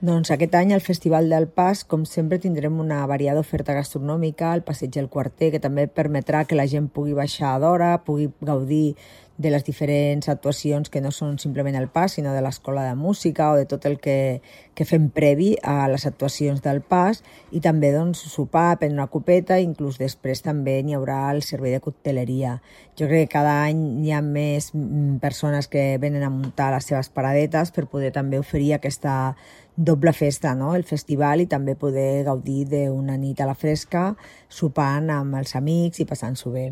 Doncs aquest any al Festival del Pas, com sempre, tindrem una variada oferta gastronòmica al Passeig del Quarter, que també permetrà que la gent pugui baixar d'hora, pugui gaudir de les diferents actuacions que no són simplement el Pas, sinó de l'Escola de Música o de tot el que fem previ a les actuacions del Pas, i també doncs, sopar, prendre una copeta, i inclús després també n'hi haurà el servei de cocteleria. Jo crec que cada any hi ha més persones que venen a muntar les seves paradetes per poder també oferir aquesta doble festa, no? El festival, i també poder gaudir d'una nit a la fresca, sopant amb els amics i passant-s'ho bé.